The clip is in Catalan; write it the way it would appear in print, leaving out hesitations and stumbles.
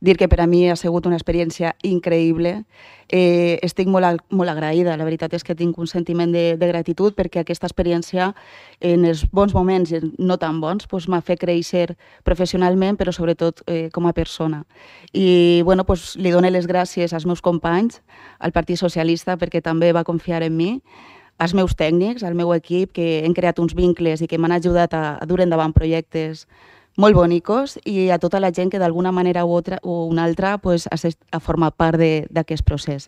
Dir que per a mi ha sigut una experiència increïble. Estic molt agraïda. La veritat és que tinc un sentiment de gratitud perquè aquesta experiència, en els bons moments i no tan bons, doncs m'ha fet créixer professionalment, però sobretot com a persona. I bueno, doncs, li dono les gràcies als meus companys, al Partit Socialista, perquè també va confiar en mi, als meus tècnics, al meu equip, que hem creat uns vincles i que m'han ajudat a dur endavant projectes molt bonicos, i a tota la gent que d'alguna manera o una altra pues, ha format part d'aquest procés.